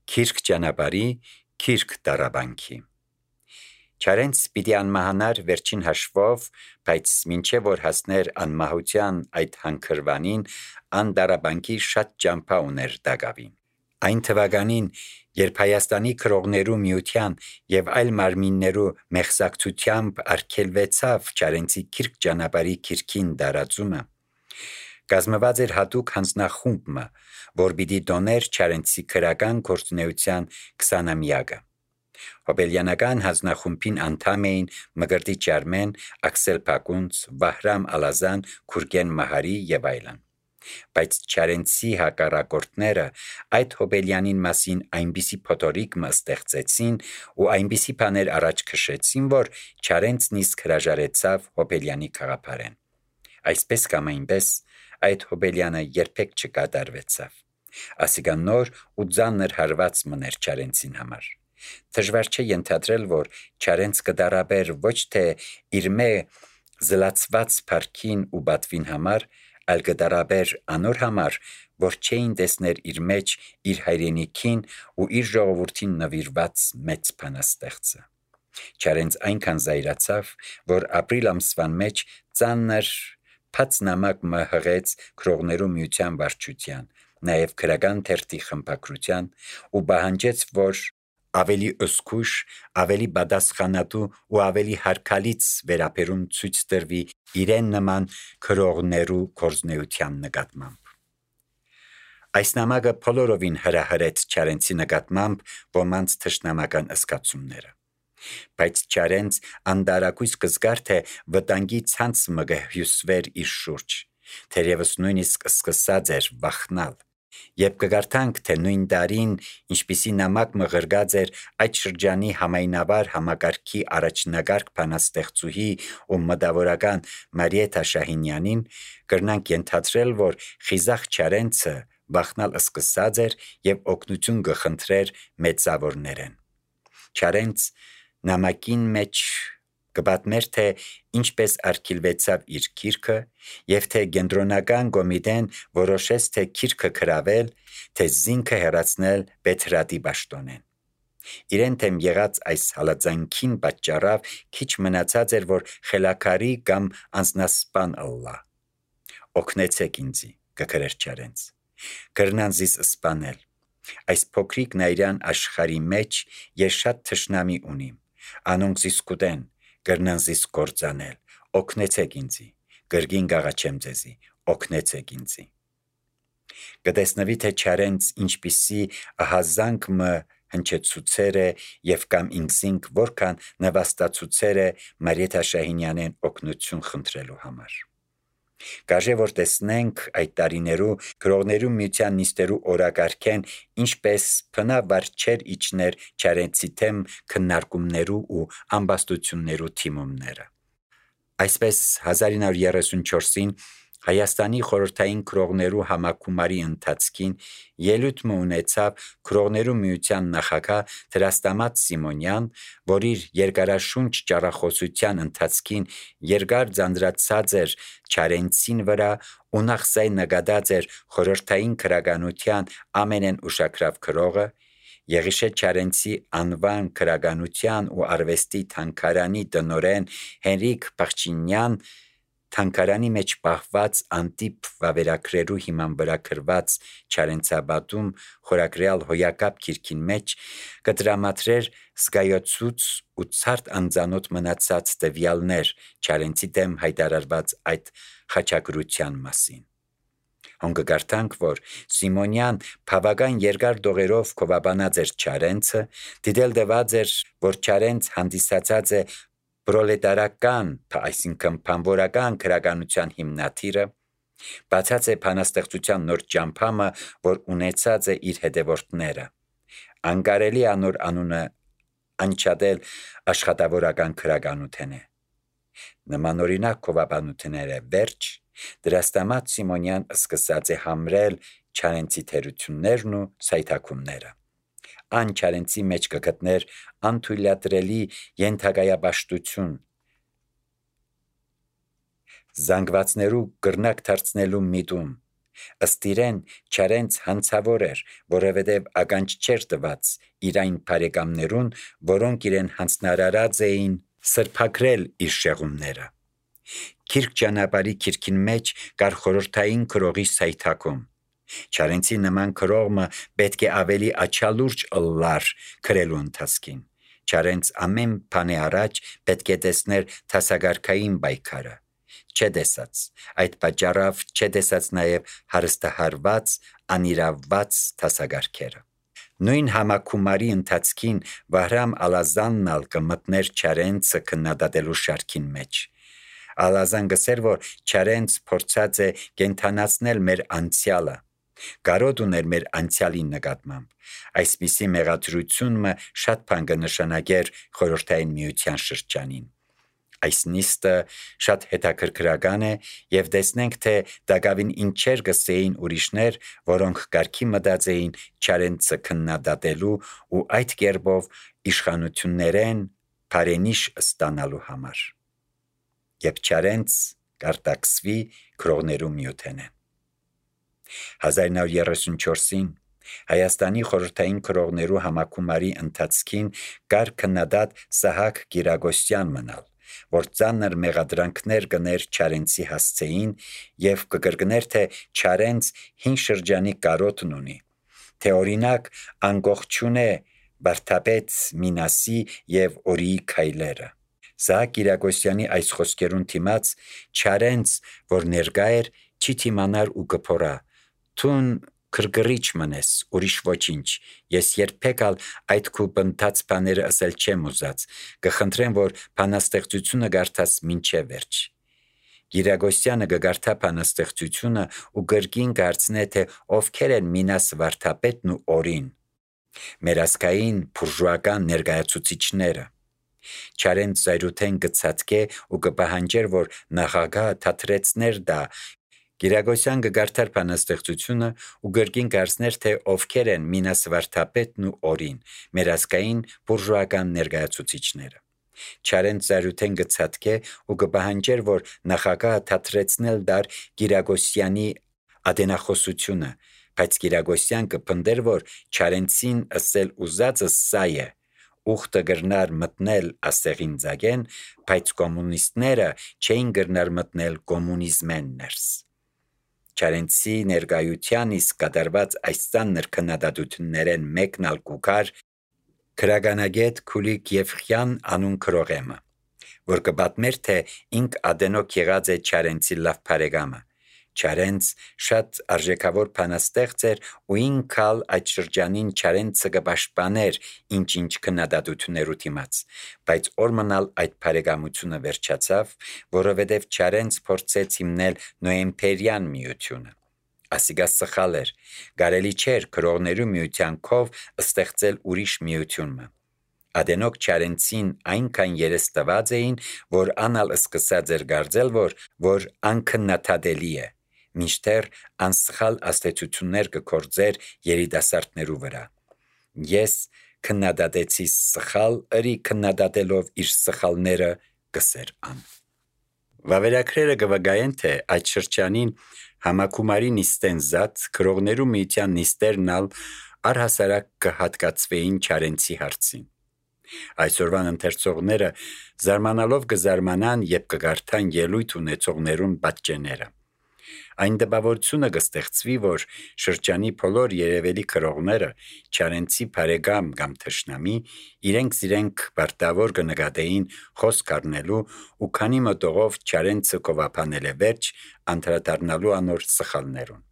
Քիրք ճանապարհի, քիրք դարաբանքի։ Չարենց պիտի անմահանար վերջին հաշվով, բայց մինչև որ հասներ անմահության այդ հանքրվանին, ան դարաբանքի շատ ճամփա ուներ դագավին։ Այն թվականին, երբ Հայաստանի քրողներու միության եւ այլ մարմիններու մեղսակցությամբ արգելվեցավ Չարենցի քիրք ճանապարհի քիրքին դարածումը, կազմված էր հատուկ հանձնախումբ, որ պիտի դոներ Չարենցի քրական գործունեության 20-ամյակը։ Հոբելյանական հանձնախումբին անդամ էին Մկրտիչ Արմեն, Աքսել Փակունց, Վահրամ Ալազան, Քուրգեն Մահարի եւ այլն։ Բայց Չարենցի հակառակորդները այդ Հոբելյանին մասին այնպիսի փոթորիկ ստեղծեցին ու այնպիսի բաներ առաջ քշեցին, որ Չարենցն իսկ հրաժարեցավ Հոբելյանի գաղափարեն։ Այսպես կամ այնպես այդ Հոբելյանը երբեք չկատարվեցավ։ Ասիկա նոր ու ծանր հարված մներ Չարենցին համար։ Դժվար չէ ենթադրել, որ Չարենց կդարաբեր ոչ թե իր զլացված փառքին ու բատվին համար, այլ կդարաբեր անոր համար, որ չէին տեսներ իր մեջ իր հայրենիքին ու իր ժողովրդին նվիրված մեծ բանաստեղծը։ Չարենց այնքան զայրացավ, որ ապրիլ ամսվան մեջ ծանր փած նամակ հղեց քրողներու միության վարչության, նաև քրական թերթի խմբակրության ու պահանջեց, որ ավելի ըսկուշ, ավելի պատասխանատու ու ավելի հարգալից վերաբերում ցույց տրվի իրեն նման քրողներու գործունեության նկատմամբ։ Այս նամակը բոլորովին հրահրեց Չարենցի նկատմամբ ոմանց թշնամական զգացումները։ Բայց Չարենց անդարակույս կզգար, թե վտանգի ցանց մը հյուսվեր իր շուրջ, թերևս նույնիսկ սկսած էր վախնալ։ Եվ կգարտանք, թե նույն տարին, ինչպիսի նամակ մղրգած էր այդ շրջանի համայնավար համակարգի առաջնագարկ բանաստեղծուհի ու մտավորական Մարիեթա Շահինյանին, կրնանք ենթադրել, որ խիզախ Չարենցը վախնալ սկսած էր եւ օգնություն կխնդրեր մեծավորներեն։ Չարենց նամակին մեջ կպատմեր, թե ինչպես արգելվեցավ իր քիրքը եւ թե կենտրոնական կոմիտեն որոշեց թե քիրքը գրավել, թե զինքը հեռացնել Պետրատի պաշտոնեն։ Իրեն թեմ եղած այս հալածանքին պատճառով քիչ մնացած էր, որ խելաքարի կամ անձնասպան ըլլա։ Օգնեցեք ինձի, կգրեր Չարենց։ Կրնան զիս սպանել։ Այս փոքրիկ նայրան աշխարհի մեջ ես շատ թշնամի ունիմ։ Անոնք զիս կուտեն, կրնան զիս կործանել։ Օգնեցեք ինձի, կրգին գաղաչեմ ձեզի, օգնեցեք ինձի։ Կտեսնվի, թե Չարենց ինչպիսի ահազանգ հնչեցուցեր է եւ կամ ինքզինք որքան նվաստացուցեր է Մարիեթա Շահինյանեն օգնություն խնդրելու համար։ Կաժե որ տեսնենք այդ տարիներու քրողներու միության նիստերու օրակարգեն ինչպես փնավարչեր իջներ Չարենցի թեմ քննարկումներու ու ամբաստություններու թիմումները։ Այսպես 1934-ին Հայաստանի խորհրդային քրողներու համակումարի ընթացքին ելույթ ունեցավ քրողներու միության նախագահ Դրաստամատ Սիմոնյան, որ իր երկարաշունչ ճառախոսության ընթացքին երկար ձանձրացած էր Չարենցին վրա ու նախսայ նկատած էր խորհրդային քրականության ամենեն ուշագրավ քրողը, Եղիշե Չարենցի անվան քրականության ու արվեստի թանգարանի տնօրեն Հենրիկ Բախչինյան թանգարանի մեջ պահված անտիպ վավերագրերու հիման վրա գրված Չարենցաբադում խորագրյալ հոյակապ քիրքին մեջ կդրամատրեր զգայացուց ու ցարտ անձանոթ մնացած տվյալներ Չարենցի դեմ հայտարարված այդ խաչակրության մասին։ Հոնկգարտանք, որ Սիմոնյան բավական երկար դողերով կովաբանած էր Չարենցը, դիտել դված էր, որ Չարենց հանդիսացած է պրոլետարական, այսինքն բանվորական քրականության հիմնադիրը, բացած է բանաստեղծության նոր ճամփամը, որ ունեցած է իր հետևորդները։ Անկարելի անոր անունը անչադել աշխատավորական քրականութեն է։ Նմանօրինակ կովաբանությունները վերջ Դրաստամատ Սիմոնյան սկսած է համրել Չարենցի թերություններն ու սայթաքումները։ Ան Չարենցի մեջ կգտներ անթույլատրելի ենթակայաբաշխություն, զանգվածներու կրնակ դարձնելու միտում, Ըստ իրեն Չարենց հանցավոր էր, որովհետև ականջ չէր տված իր այն բարեկամներուն, որոնք իրեն հանձնարարած էին սրբագրել իր շեղումները։ Քիրք ճանապարհի քիրքին մեջ կար խորհրդային քրողի սայթակում։ Չարենցի նման քրողը պետք է ավելի աչալուրջ ըլլար քրելու ընթացքին։ Չարենց ամեն բանի առաջ պետք է տեսներ թասագարքային պայքարը։ Չտեսած, այդ պատճառով չտեսած նաև հարստահարված, անիրավված թասագարքերը։ Նույն համակումարի ընթացքին Վահրամ Ալազանն ալ կմտներ Չարենցը քննադատելու շարքին մեջ։ Ալազան գսեր, որ Չարենց փորձած է կենթանացնել մեր անցյալը, կարոտ ուներ մեր անցյալի նկատմամբ։ Այսպիսի մեղադրությունը շատ բան կնշանակեր խորհրդային միության շրջանին։ Այս նիստը շատ հետաքրքրական է եւ տեսնենք, թե դակավին ինչեր գսեին ուրիշներ, որոնք կարգի մտածեին Չարենցը քննադատելու ու այդ կերպով իշխանություններեն բարենիշ ստանալու համար։ Եվ Չարենց կարտաքսվի քրողներու միութենեն։ 1934-ին Հայաստանի խորհրդային քրողներու համակումարի ընթացքին կար քննադատ Սահակ Կիրագոսյան մնալ, որ ծանր մեղադրանքներ կներ Չարենցի հասցեին եւ կկրկներ, թե Չարենց 5 շրջանի կարոտն ունի, թե օրինակ անկողջուն է Բարթապետ Մինասի եւ Օրիի քայլերը։ Սահակ Կիրագոսյանի այս խոսքերուն դիմաց Չարենց, որ ներկա էր, չի թիմանար ու կփորա. «Թուն քրգռիչ մնես, ուրիշ ոչինչ, ես երբեք այդ քու բնթած բաները ասել չեմ ուզած, կխնդրեմ, որ բանաստեղծությունը գարթաս մինչև վերջ»։ Կիրագոսյանը կգարթա բանաստեղծությունը ու կրկին կհարցնե, թե ովքեր են Մինաս Վարդապետն ու Օրին, մեր ազգային բուրժուական ներկայացուցիչները։ Չարենց զայրութեն կցածկե ու կպահանջեր, որ նախագահը թատրեցներ դա։ Կիրագոսյան կգարթար բանաստեղծությունը ու կրկին կհարցներ, թե ովքեր են Մինաս Վարդապետն ու Օրին, մեր ազգային բուրժուական ներկայացուցիչները։ Չարենց զայրութեն կցածկե ու կպահանջեր, որ նախագահը թատրեցնել դար Կիրագոսյանի ադենախոսությունը, բայց Կիրագոսյան կպնդեր, որ Չարենցին ասել ուզածը սա է. ուխտը գրնար մտնել ասեղին ձագեն, բայց կոմունիստները չէին գրնար մտնել կոմունիզմեն ներս։ Չարենցի ներկայության իսկ կատարված այս ծանր քննադատություններեն մեկն ալ կուքար քրագանագետ Քուլիկ Եվխյան անուն քրողեմը, որ կպատմեր, թե ինք ադենոք եղած է Չարենցի լավ բարեկամը։ Չարենց շատ արժեքավոր բանաստեղծ էր ու ինքալ այդ շրջանին Չարենցը կպաշտպաներ ինչ-ինչ քննադատություններու դիմաց, բայց օրմնալ այդ բարեկամությունը վերջացավ, որովհետև Չարենց փորձեց հիմնել նոեմբերյան միությունը։ Ասիկա սխալ էր, կարելի չէր քրողներու միության քով ստեղծել ուրիշ միությունը։ Ադենոք Չարենցին այնքան երես տված էին, որ անալ սկսած էր գարձել, որ անքննադատելի է, մինչդեռ անսխալ աստեցություններ կկործեր երիտասարդներու վրա։ Ես քննադատեցի սխալ ըրի քննադատելով իր սխալները կսեր ան։ Վավերագրերը կվկայեն, թե այդ շրջանին համակումարի նիստեն զատ քրողներու միության նիստերն ալ առհասարակ կհատկացվեին Չարենցի հարցին։ Այսօրվան ընթերցողները զարմանալով կզարմանան եւ կգարթան ելույթ ունեցողներուն պատճենները։ Այն դպավորությունը կստեղծվի, որ շրջանի բոլոր երևելի քրողները Չարենցի բարեկամ կամ թշնամի իրենք բարտավոր կնկատեին խոսք առնելու ու քանի մտողով Չարենցը կովապանել է վերջ անդրադառնալու անոր սխալներուն։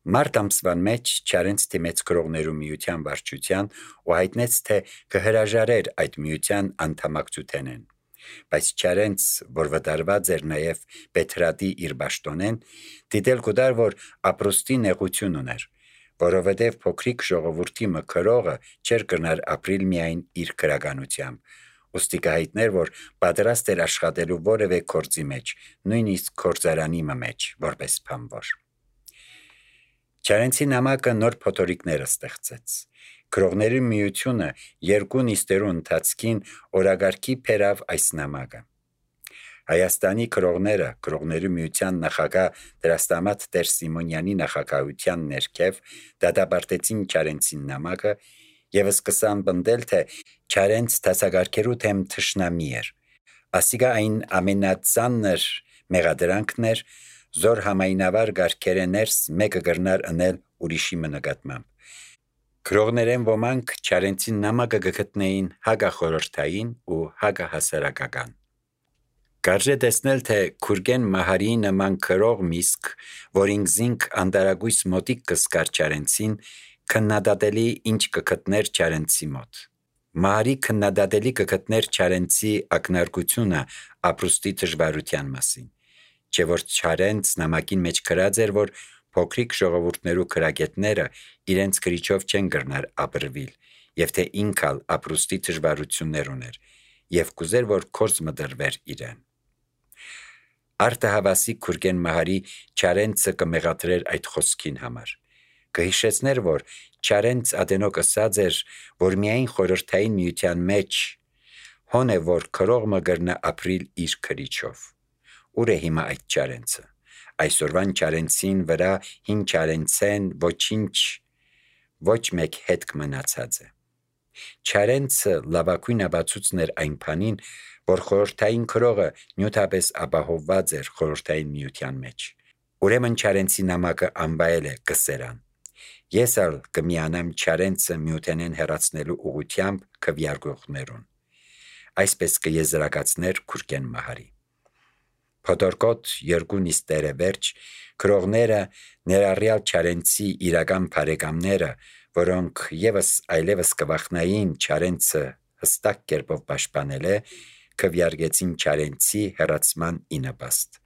Մարտ ամսվան մեջ Չարենց դիմեց քրողներու միության վարչության ու հայտնեց, թե կհրաժարեր այդ միության անդամակցութենեն։ Բայց Չարենց, որ վտարված էր նաև Պետրադի իր պաշտոնեն, դիտել կուտար, որ ապրուստի նեղություն ուներ, որովհետև փոքրիկ ժողովրդի մքրողը չէր կրնար ապրիլ միայն իր քրագանությամբ, ուստի կհայտներ, որ պատրաստ էր աշխատելու որևէ գործի մեջ, նույնիսկ գործարանի մեջ, որպես բանվոր։ Չարենցի նամակը նոր փոթորիկներ ստեղծեց։ Քրողների միությունը երկու նիստերու ընթացքին օրագարկի բերավ այս նամակը։ Հայաստանի քրողներու միության նախագահ Դրաստամատ Տեր Սիմոնյանի նախագահության ներքև դատապարտեցին Չարենցին նամակը եւ սկսան բնդել, թե Չարենց դասակարգերու թեմ թշնամի էր։ Ասիկա այն ամենածանր մեղադրանքն էր, զոր համայնավար գարկերը ներս մեկը գրնար ընել ուրիշի նկատմամբ։ Քրողներեն ոմանք Չարենցին նամակը գտնեին հագախորհրդային ու հագահասարակական։ Կարժե տեսնել, թե Քուրգեն Մահարի նման քրող միսկ, որին զինք անտարագույս մոտիկ կսկար Չարենցին, քննադատելի ինչ կգտներ Չարենցի մոտ։ Մահարի քննադատելի կգտներ Չարենցի ակնարկությունը ապրուստի դժվարության մասին, չէ որ Չարենց նամակին մեջ գրած էր, որ փոքրիկ ժողովուրդներու քրագետները իրենց գրիչով չեն գրնար ապրվիլ, եւ թե ինքալ ապրուստի դժվարություններ ուներ, եւ կուզեր, որ կորզ մդրվեր իրեն։ Արտահավասիկ Քուրգեն Մահարի Չարենցը կմեղադրեր այդ խոսքին համար։ Կհիշեցներ, որ Չարենց ադենոք ասած էր, որ միայն խորհրդային միության մեջ հոն է, որ քրողը գրնա ապրիլ իր քրիչով։ Ուր է հիմա այդ Չարենցը։ Այսօրվան Չարենցին վրա հին Չարենցեն ոչ մեկ հետ կմնացած է։ Չարենցը լավակույն ապացույցն էր այն բանին, որ խորհրդային քրողը նյութապես ապահովված էր խորհրդային միության մեջ։ Ուրեմն Չարենցի նամակը անվայել է կսերան։ Ես ալ կմիանամ Չարենցը միութենեն հեռացնելու ուղությամբ քվյարկողներուն։ Այսպես կեզրակացներ Քուրգեն Մահարի։ Փոթորկոտ երկու նիստերը վերջ քրողները ներառյալ Չարենցի իրական բարեկամները, որոնք այլևս կվախնային Չարենցը հստակ կերպով պաշտպանել է, քվյարկեցին Չարենցի հեռացման ինպաստ։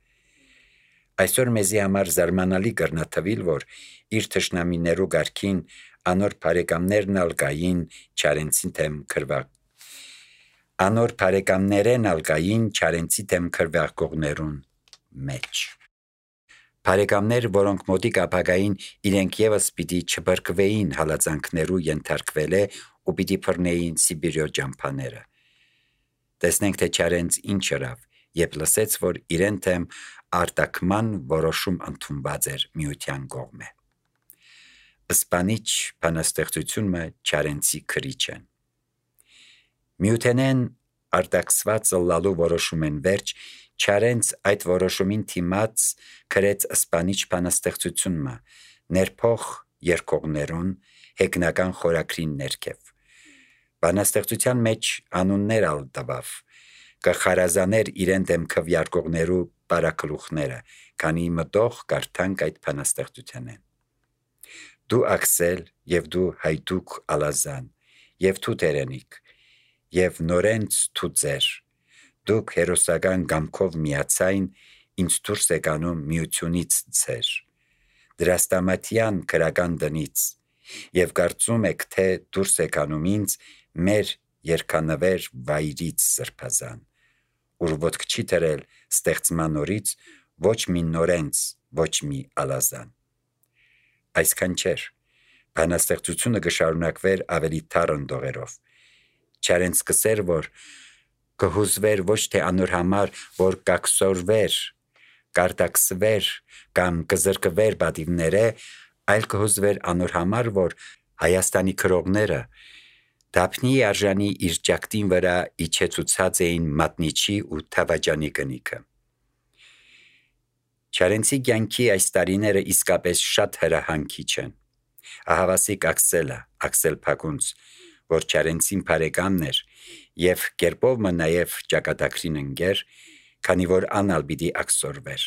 Այսօր մեզի համար զարմանալի կրնա թվիլ, որ իր թշնամիներու գարքին անոր բարեկամներն ալգային Չարենցի թեմ քրվարկողներուն մեջ։ Բարեկամներ, որոնք մոտիկ ապագային իրենք եւս պիտի չբրկվեին հալածանքներու ենթարկվել է ու պիտի բռնեին Սիբիրյո ջամփաները։ Տեսնենք, թե Չարենց ինչ ըրավ, երբ լսեց, որ իրեն թեմ արտաքման որոշում ընդունված էր միության կողմէ։ Սպանիչ բանաստեղծությունը Չարենցի քրիչեն։ Միութենեն արտաքսված լալու որոշում են վերջ, Չարենց այդ որոշումին թիմած գրեց սպանիչ բանաստեղծությունը ներփող երկողներուն հեգնական խորագրին ներքև։ Բանաստեղծության մեջ անուններ ալ տվավ, կխարազաներ իրեն դեմ քվյարկողներու բարակլուխները, քանի մտող կարդանք այդ բանաստեղծությանեն։ Դու Աքսել եւ դու Հայդուկ Ալազան եւ դու Տերենիկ եւ Նորենց դու ձեր, դուք հերոսական գամքով միացայն ինձ դուրս եկանում միությունից ձեր, դրաստամատյան քրական տնից եւ կարծում եք, թե դուրս եկանում ինձ մեր երկանվեր վայրից սրբազան, ուր ոտք չի տրել ստեղծման օրից ոչ մի Նորենց, ոչ մի Ալազան։ Այսքան չէր, բանաստեղծությունը կշարունակվեր ավելի թարն դողերով։ Չարենց կսեր, որ կհուզվեր ոչ թե անոր համար, որ կաքսորվեր, կարտաքսվեր կամ կզրկվեր բադիվները, այլ կհուզվեր անոր համար, որ Հայաստանի քրողները դափնի արժանի իր ճակտին վրա իջեցուցած էին մատնիչի ու թավաջանի կնիքը։ Չարենցի կյանքի այս տարիները իսկապես շատ հրահանգիչ են։ Ահավասիկ Աքսելը, Աքսել Փակունց, որ Չարենցին բարեկամն էր եւ կերպով նաեւ ճակատագրին ընկեր, քանի որ անալ պիտի աքսորվեր։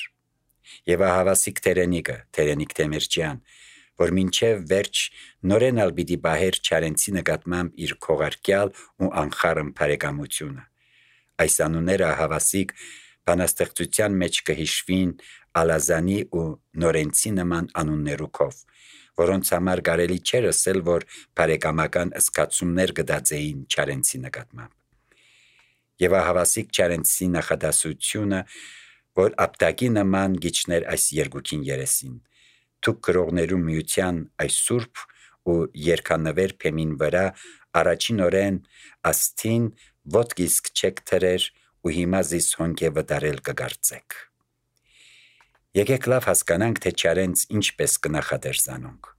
Եվ ահավասիկ Տերենիկը, Տերենիկ Թեմերչյան, որ մինչև վերջ նորեն ալ պիտի բահեր Չարենցի նկատմամբ իր քողարկյալ ու անխառն բարեկամությունը։ Այս անունները ահավասիկ բանաստեղծության մեջ կհիշվին Ալազանի ու Նորենցի նման անուններուքով, որոնց համար կարելի չէր ասել, որ բարեկամական զգացումներ կդածեին Չարենցի նկատմամբ։ Եվ ահավասիկ Չարենցի նախադասությունը, որ ապտակի նման գիչներ այս երկուքին երեսին, թուք գրողներու միության այս սուրբ ու երկանվեր փեմին վրա առաջին օրեն աստին ոտք իսկ չեք թրեր ու հիմա զիս հոնք է վտարել կգարծեք։ Եկեք լավ հասկանանք, թե Չարենց ինչպես կնախադեր զանոնք։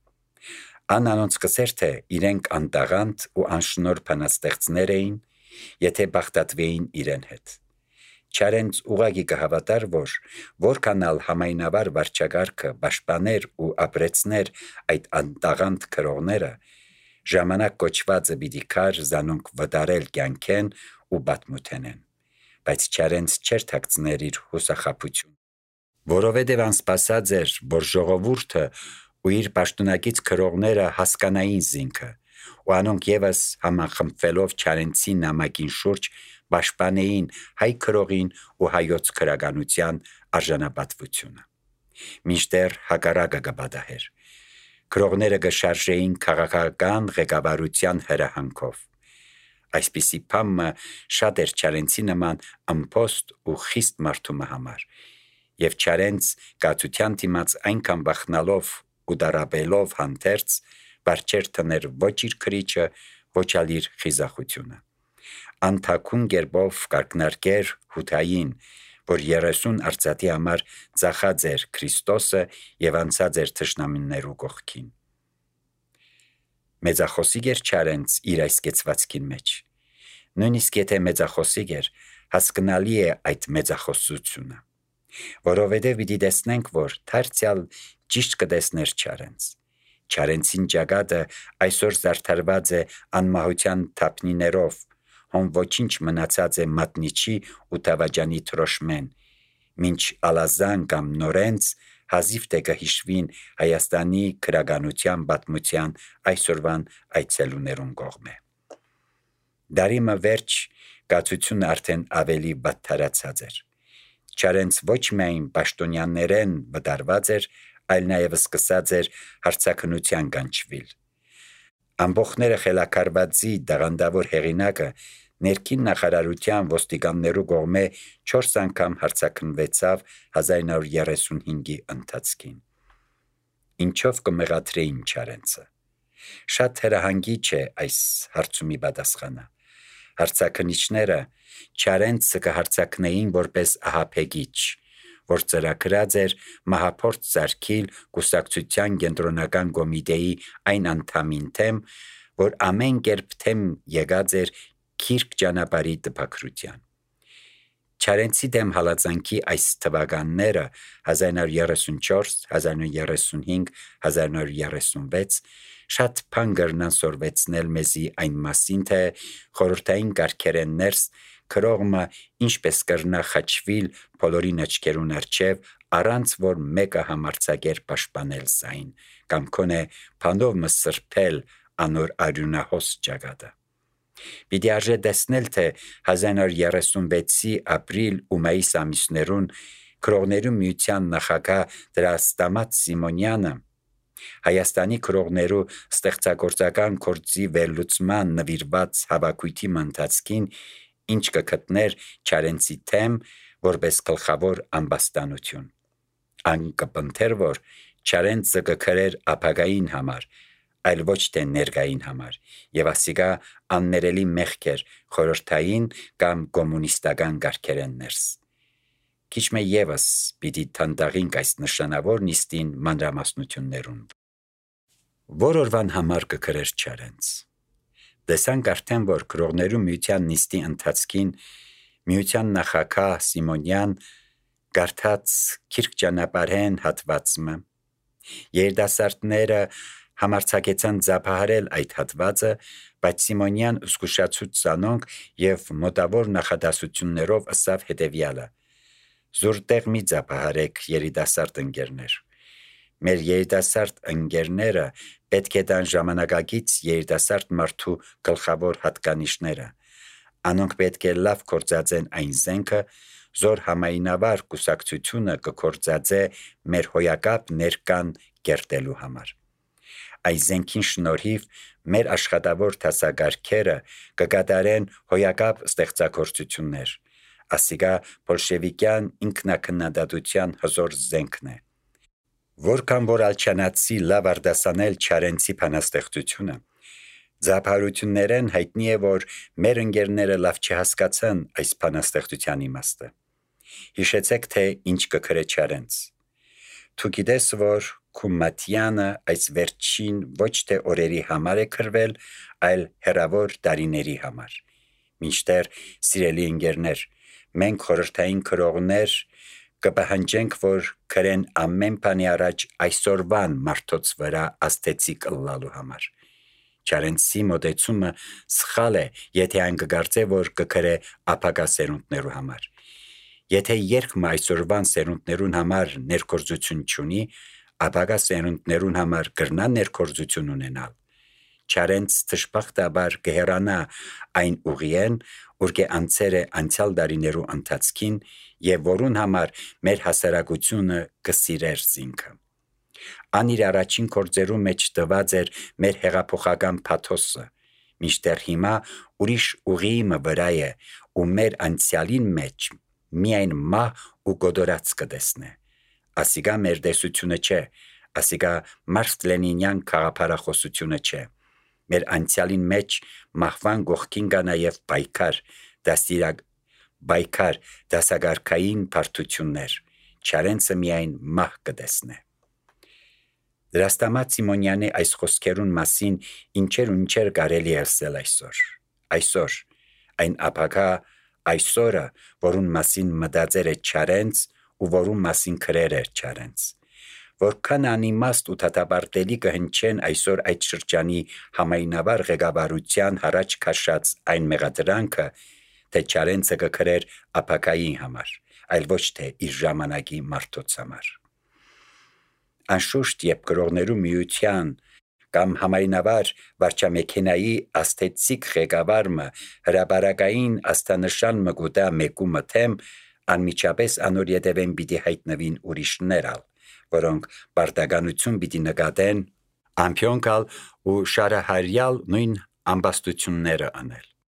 Ան անոնց կսեր, թե իրենք անտաղանդ ու անշնոր բանաստեղծներ էին, եթե բախտատվեին իրեն հետ։ Չարենց ուղագի կհավատար, որ որքանալ համայնավար վարչագարքը պաշտպաներ ու ապրեցներ այդ անտաղանդ քրողները, ժամանակ կոչվածը պիտի քար զանոնք վտարել կյանքեն ու բաթմութենեն, բայց Չարենց չեր թաքցներ իր հուսախաբություն, որովհետև անսպասած էր, որ ժողովուրդը ու իր պաշտոնակից քրողները հասկանային զինքը, ու անոնք ևս համախմբվելով Չարենցի նամակին շուրջ պաշտպանեին հայ քրողին ու հայոց քրագանության արժանապատվությունը։ Մինչդեռ հակառակը կպատահեր։ Քրողները կշարժեին քաղաքական ղեկավարության հրահանգով։ Այսպիսի բամը շատ էր Չարենցի նման ըմփոստ ու խիստ մարդու համար, եւ Չարենց կացության դիմաց այնքան բախնալով ու դարաբելով հանդերձ, բարձր թներ ոչ իր քրիչը, ոչ ալ իր խիզախությունը։ Անթակուն գերբով կարկնարկեր հութային, որ 30 արծաթի համար ծախած էր Քրիստոսը եւ անցած էր թշնամիներու կողքին։ Մեծախոսիկ էր Չարենց իր այս կեցվածքին մեջ։ Նույնիսկ եթե մեծախոսիկ էր, հասկանալի է այդ մեծախոսությունը, որովհետև պիտի տեսնենք, որ դարձյալ ճիշտ կտեսներ Չարենց։ Չարենցին ճակատը այսօր զարդարված է անմահության թափնիներով, հոն ոչինչ մնացած է մատնիչի ու տավաջանի թրոշմեն, մինչ ալազան կամ նորենց հազիվ թե կհիշվին Հայաստանի քրագանության պատմության այսօրվան այցելուներուն կողմէ։ Դարիմը վերջ կացությունը արդեն ավելի վատթարացած էր։ Չարենց ոչ միայն պաշտոնյաներեն վտարված էր, այլ նաև սկսած էր հարցաքնության կանչվիլ։ Ամբողջները խելակարվածի դաղանդավոր հեղինակը ներքին նախարարության ոստիկաններու կողմէ 4 անգամ հարցաքնվեցավ 1935-ի ընթացքին։ Ինչով կմեղադրեին Չարենցը։ Շատ հրահանգիչ է այս հարցումի պատասխանը։ Հարցաքնիչները Չարենցը կհարցաքնեին որպես ահաբեկիչ, որ ծրագրած էր մահափորձ սարքիլ կուսակցության կենտրոնական կոմիտեի այն անդամին թեմ, որ ամեն կերպ թեմ եկած էր քիրք ճանապարհի տպագրության։ Չարենցի դեմ հալածանքի այս թվականները 1934, 1935, 1936 շատ բան կրնան սորվեցնել մեզի այն մասին, թե խորհրդային կարգերեն ներս քրողը ինչպես կրնա խաչվիլ բոլորին աչքերուն առջև, առանց որ մեկը համարձակեր պաշտպանել զայն, կամ քոնե բանով սրբել անոր արյունահոս ճակատը։ Պիտի արժե տեսնել, թե 1936-ի ապրիլ ու մայիս ամիսներուն քրողներու միության նախագահ Դրաստամատ Սիմոնյանը Հայաստանի քրողներու ստեղծագործական գործի վերլուծման նվիրված հավաքույթի ընթացքին ինչ կգտներ Չարենցի թեմ որպես գլխավոր ամբաստանություն։ Ան կպընթեր, որ Չարենցը կքրեր ապագային համար, այլ ոչ թե ներկային համար, եւ ասիկա աններելի մեղք էր խորհրդային կամ կոմունիստական կարգերեն ներս։ Քիչ մե եւս պիտի թանդաղինք այս նշանավոր նիստին մանրամասնություններուն։ Որ օրվան համար կքրեր Չարենց։ Տեսանք արդեն, որ քրողներու միության նիստի ընթացքին միության նախագահ Սիմոնյան գարթած քիրք ճանապարհեն հատվածը երդասարտները համարձակեցան ձապահարել այդ հատվածը, բայց Սիմոնյան զգուշացուց զանոնք եւ մոտավոր նախադասություններով ասավ հետեւյալը. «Զուրտեղ մի ձապահարեք երիտասարդ ընկերներ։ Մեր երիտասարդ ընկերները պետք է տան ժամանակակից երիտասարդ մարդու գլխավոր հատկանիշները։ Անոնք պետք է լավ կործածեն այն զենքը, զոր համայնավար կուսակցությունը կկործածե մեր հոյակապ ներկան կերտելու համար։ Այս զենքին շնորհիվ մեր աշխատավոր դասակարգերը կկատարեն հոյակապ ստեղծագործություններ։ Ասիկա բոլշևիկյան ինքնակնադատության հզոր զենքն է։ Որքան որ ալչանացի լավ արդասանել Չարենցի բանաստեղծությունը, Ձափառություններեն հայտնի է, որ մեր ընկերները լավ չհասկացան այս բանաստեղծության իմաստը։ Հիշեցեք, թե ինչ կգրե Չարենց։ Դու գիտես, որ քո մատյանը այս վերջին ոչ թե օրերի համար է գրվել, այլ հեռավոր տարիների համար։ Մինչդեռ, սիրելի ընկերներ, մենք խորհրդային քրողներ կպահանջենք, որ գրեն ամեն բանի առաջ այսօրվան մարդոց վրա աստեցիկ ըլլալու համար։ Չարենցի մոտեցումը սխալ է, եթե այն կգործե, որ կգրե ապագա սերունդներու համար։ Եթե երկմը այսօրվան սերունդներուն համար ներգործություն չունի, ապագա սերունդներուն համար կրնա ներգործություն ունենալ։ Չարենց դժբախտաբար կհեռանա այն ուղիեն, ուր անցեր է անցյալ դարիներու ընթացքին եւ որուն համար մեր հասարակությունը կսիրեր զինքը։ Ան իր առաջին գործերու մեջ տված էր մեր հեղափոխական փաթոսը, մինչդեռ հիմա ուրիշ ուղիի վրա է ու մեր անցյալին մեջ միայն մահ ու գոդորած կտեսնե։ Ասիկա մեր տեսությունը չէ, ասիկա Մարքս Լենինյան քաղաքապարախոսությունը չէ։ Մեր անցյալին մեջ մահվան գողքին կա նաև բայկար դասագարքային բարդություններ, Չարենցը միայն մահ կտեսնե։ Դրաստամատ Սիմոնյանի այս խոսքերուն մասին ինչեր կարելի է ասել այսօր, այն ապագա այսօրը, որուն մասին մտածեր է Չարենց ու որուն մասին գրեր էր Չարենց, որքան անիմաստ ու դատապարտելի կհնչեն այսօր այդ շրջանի համայնավար ղեկավարության հարաճ քաշած այն մեղադրանքը, թե Չարենցը կգրեր ապագայի համար, այլ ոչ թե իր ժամանակի մարդոց համար։ Անշուշտ, երբ գրողներու միության կամ համայնավար վարչամեքենայի աստեցիկ ղեկավարը հրապարակային աստանշան մգուտա մեկու մթեմ, անմիջապես անոր ետևեն պիտի հայտնվին ուրիշներ ալ, որոնք պարտականություն պիտի նկատեն ամփյոնկալ ու շարահարյալ նույն ամբաստությունները անել։